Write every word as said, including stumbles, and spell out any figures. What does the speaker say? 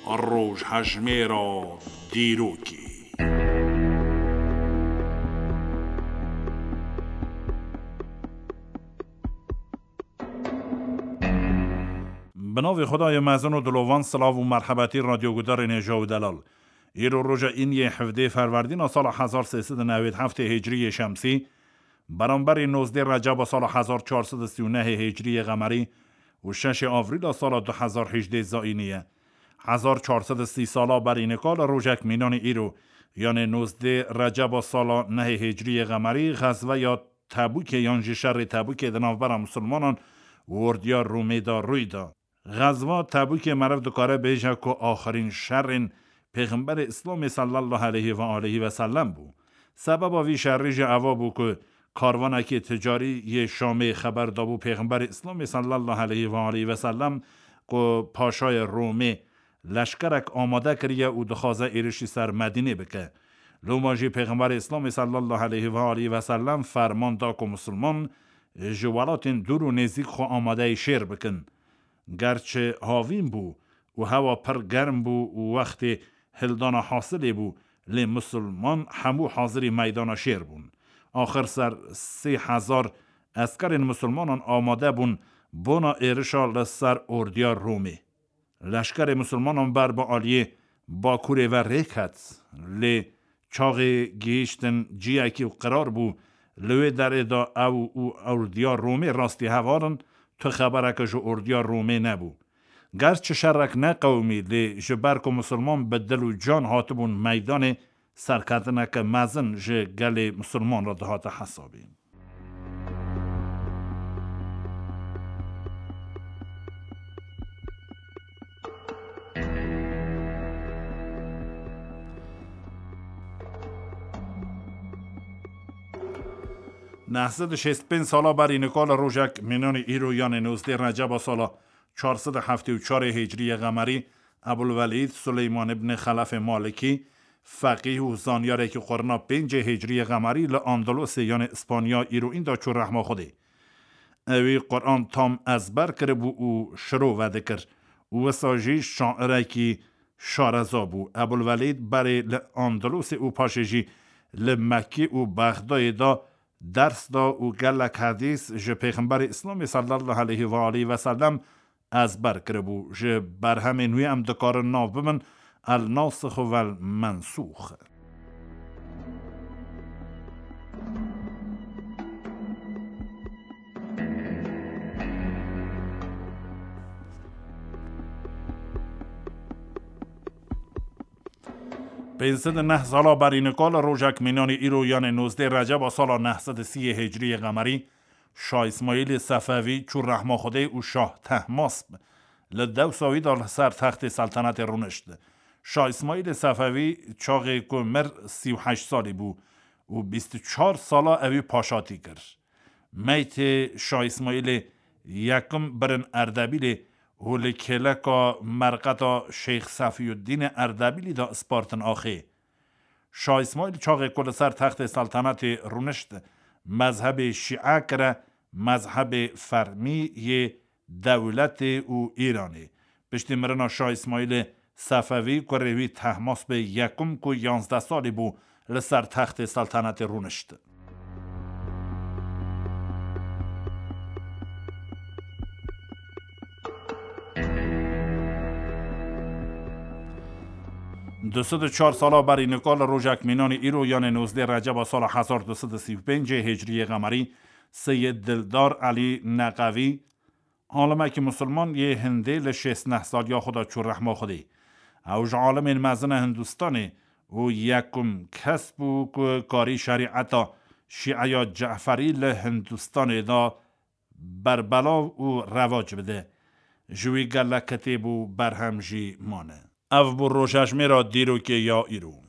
Rojhejmêra dîrokê. Bi navê Xwedayê mezin û dilovan, silav û merhebetî radyogudarên hêja û delal. Îro roja îniyê hevdê ferwerdîna sala hezar sê sed û newêd heftê hicriyê şemsî, beramberî nozdê receba sala hezar çar sed û sî û nehê hicriyê qemerî û şeşê avrîla sala du hezar hejdê zayînî ye. Hezar çar sed û sî sala berî nika li rojek mînanê îro, yanê nozdê receba sala nehê hicriyê qemerî, xezveya Tebûkê yan jî şerê Tebûkê di navbera misilmanan û ordiya Rûmê de rûy da. Xezva Tebûkê meriv dikare bêje ku axirîn şerên Pêxemberê Îslamê sallallahu aleyhi ve aleyhi ve sellem bû. Sebeba vî şerî jî eva bû ku karvanekî ticarî yê Şamê xeber dabû Pêxemberê Îslamê sallallahu aleyhi ve aleyhi ve sellem ku paşayê Rûmê leşkerek amade kiriye û dixwaze êrişî ser Medînê bike. Loma jî Pêxemberê Îslamê sallallahu aleyhi ve aleyhi ve sellem ferman da ku misilman ji welatên dûr û nêzîk xwe amadeyî şêr bikin. Gerçi havîn bû û hewa pir germ bû û wextê hildana hasilê bû, lê misilman hemû hazirî meydana şêr bûn. Axir ser sê hezar eskerên misilmanan amade bûn bona êrişa li ser ordiya Romê. Leşkerê misilmanan ber bi aliyê bakurê ve rê ket, lê çaxê gihîştin ciyekî û qirar bû, li wê derê de ew û ordiya Romê rastî heval in, tu xebereke ji ordiya Romê nebû. Gerçi şerek neqewimî, lê ji ber ku misilman bi dil û can hatibûn meydanê, serketineke mezin ji gelê misilman re dihate hesabîn. Neh sed û şêst pênc sala berî nika li rojek mînanî îro, yanê nozdeh Receba sala çar sed û heftê û çar hicriyê qemerî, Ebulvelîd Suleyman ibn Xelefê Malikî, feqîh û zanyarekî qurna pêncê hicriyê qemerî li Andalusê, yanê Îspanya îro înda çû rehma Xwedê. Ewî Quran tam ezber kiribû û şiro vedikir û wisa jî şairekî şareza bû. Ebulvelîd berê li Andalusê û paşê jî li Mekkî û Bexdayê de ders da û gelek hedîs ji Pêxemberê Îslamê sallallahu aleyhi ve aleyhi ve sellem ezber kiribû. Ji berhemên wî em dikarin nav bibin El Nasix û Vel Mensûx. Pênc sed û neh sala berî nika li rojek mînanî îro, yanê nozdeh Receba sala neh sed û sî hicriyê qemerî, Şah Îsmaîlê Sefevî çû rehma Xwedê û Şah Tehmasp li dewsa wî de li ser textê seltenetê rûnişt. Şah Îsmaîlê Sefevî çaxê ku mir sî û heşt salî bû û bîst û çar sala ewî paşatî kir. Meytê Şah Îsmaîlê yekim birin Erdebîlê û li kêleka merqeta Şeyx Sefiyuddînê Erdebîlî de spartin axê. Şah Îsmaîl çaxê ku li ser textê seltenetê rûnişt, mezhebê şîe kire mezhebê fermî yê dewletê û Îranê. Piştî mirina Şah Îsmaîlê Sefevî, kurê wî Tehmaspê yekum ku yanzdeh salî bû, li ser textê seltenetê rûnişt. Du sed û çar sala berî nika li rojek mînanî îro, yanê nozdeh Receba sala hezar du sed û sî û pêncê hicriyê qemerî, Seyid Dildar Elî Neqevî, alimekî misilman yê Hindê, li şêst neh saliya xwe de çû rehma Xwedê. Ew ji alimên mezin e Hindistanê û yekum kes bû ku karî şerîeta şîeya Ceferî li Hindistanê de berbelav û revac bide. Ji wî gelek kitêb û berhem jî mane. Ev bû rojhejmêra dîrokê ya îro.